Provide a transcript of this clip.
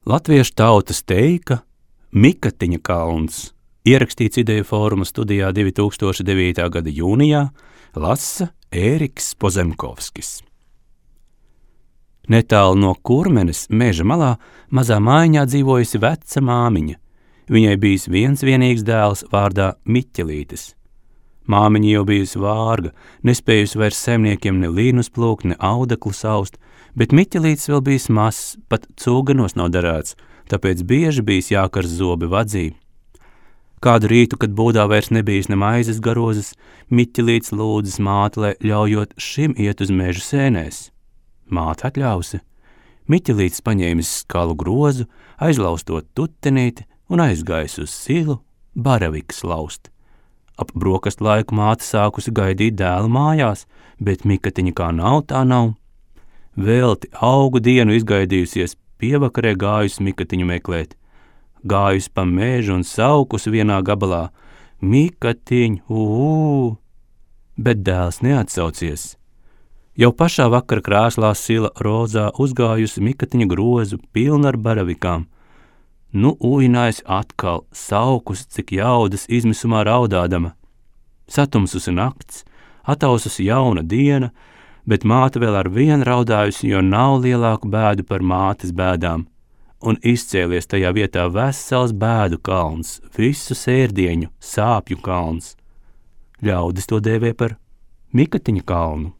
Latviešu tautas teika Mikatiņa kalns, ierakstīts Ideju fóruma studijā 2009. gada jūnijā, lasa Ēriks Pozemkovskis. Netālu no Kurmenes meža malā mazā mājiņā dzīvojusi veca māmiņa. Viņai bijis viens vienīgs dēls vārdā Miķelītis. Māmiņa jau bijusi vārga, nespējusi vairs saimniekiem ne līnus plūkt, ne audeklu saust, bet Miķelītis vēl bijis mazs, pat cūganos nav darēts, tāpēc bieži bijis jākars zobi vadzī. Kādu rītu, kad būdā vairs nebijis ne maizes garozes, Miķelītis lūdzis māti, lai ļaujot šim iet uz mežu sēnēs. Māte atļausi. Miķelītis paņēmis skalu grozu, aizlaustot tutenīti un aizgājis uz silu baravikas laust. Ap brokastu laiku māte sākusi gaidīt dēlu mājās, bet Mikatiņa kā nav, tā nav. Velti augu dienu izgaidījusies, pievakarē gājusi Mikatiņu meklēt. Gājusi pa mežu un saukusi vienā gabalā: Mikatiņ, bet dēls neatsaucies. Jau pašā vakara krāslā sila rozā uzgājusi Mikatiņa grozu pilnu ar baravikām. Nu ujinājusi atkal, saukusi, cik jaudas izmisumā raudādama. Satumsusi nakts, ataususi jauna diena, bet māte vēl ar vienu raudājusi, jo nav lielāku bēdu par mātes bēdām. Un izcēlies tajā vietā vesels bēdu kalns, visu sērdieņu, sāpju kalns. Ļaudis to dēvē par Mikatiņa kalnu.